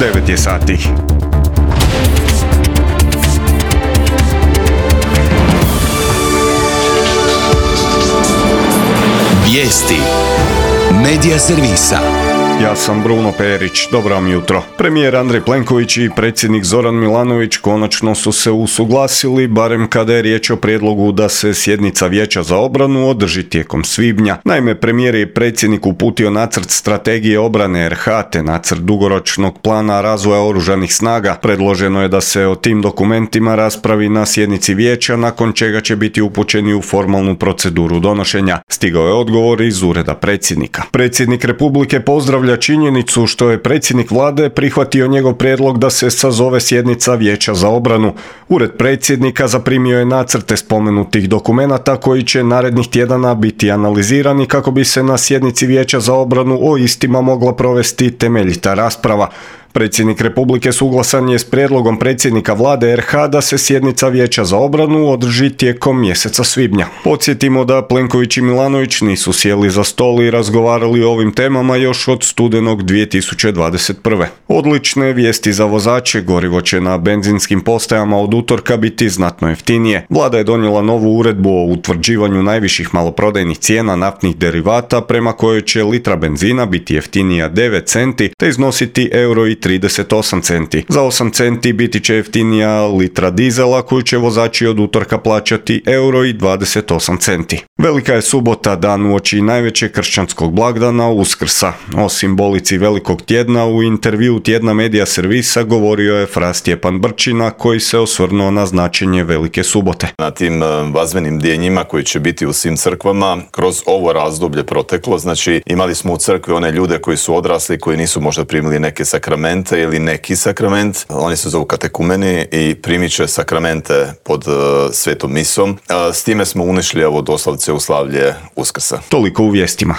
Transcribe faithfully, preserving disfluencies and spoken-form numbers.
devet je sati. Vijesti Medija servisa. Ja sam Bruno Perić, dobro vam jutro. Premijer Andrej Plenković i predsjednik Zoran Milanović konačno su se usuglasili, barem kada je riječ o prijedlogu da se sjednica Vijeća za obranu održi tijekom svibnja. Naime, premijer je predsjednik uputio nacrt strategije obrane R H te nacrt dugoročnog plana razvoja oružanih snaga. Predloženo je da se o tim dokumentima raspravi na sjednici Vijeća, nakon čega će biti upućeni u formalnu proceduru donošenja. Stigao je odgovor iz ureda predsjednika. Predsjednik Republike pozdravlja činjenicu što je predsjednik vlade prihvatio njegov prijedlog da se sazove sjednica Vijeća za obranu. Ured predsjednika zaprimio je nacrte spomenutih dokumenata koji će narednih tjedana biti analizirani kako bi se na sjednici Vijeća za obranu o istima mogla provesti temeljita rasprava. Predsjednik Republike suglasan je s prijedlogom predsjednika vlade R H da se sjednica Vijeća za obranu održi tijekom mjeseca svibnja. Podsjetimo da Plenković i Milanović nisu sjeli za stol i razgovarali o ovim temama još od studenog dvije tisuće dvadeset prve. Odlične vijesti za vozače, gorivo će na benzinskim postajama od utorka biti znatno jeftinije. Vlada je donijela novu uredbu o utvrđivanju najviših maloprodajnih cijena naftnih derivata prema kojoj će litra benzina biti jeftinija devet centi te iznositi euro i trideset osam centi. Za osam centi biti će jeftinija litra dizela koju će vozači od utorka plaćati euro i dvadeset osam centi. Velika je subota, dan uoči najvećeg kršćanskog blagdana Uskrsa. O simbolici velikog tjedna u intervju tjedna Medija servisa govorio je fra Stjepan Brčina koji se osvrnuo na značenje velike subote. Na tim vazbenim djenjima koji će biti u svim crkvama kroz ovo razdoblje proteklo, znači imali smo u crkvi one ljude koji su odrasli, koji nisu možda primili neke sakramente ili neki sakrament, oni se zovu katekumeni i primit će sakramente pod uh, svetom misom. Uh, s time smo unišli ovo doslovce u slavlje Uskrsa. Toliko u vijestima.